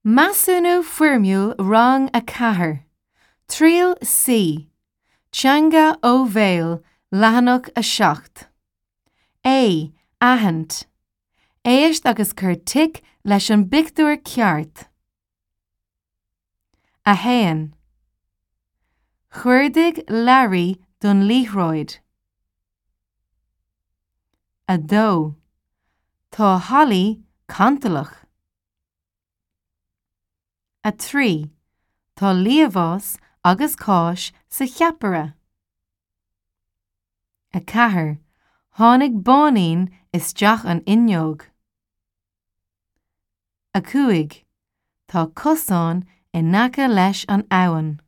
Measúnú Foirmiúil Rang 4, Triail C, Teanga ó Bhéal, Leathanach 7. A, Aithint. Éist agus cuir tic leis an bpictiúr ceart. 1. Chuardaigh Learaí don liathróid. 2. Tá Holly cantalach. 3. Tá liamhás agus cáis sa cheapaire. 4. Tháinig báinín isteach an fhuinneog. 5. Tá cosán in aice leis an abhainn.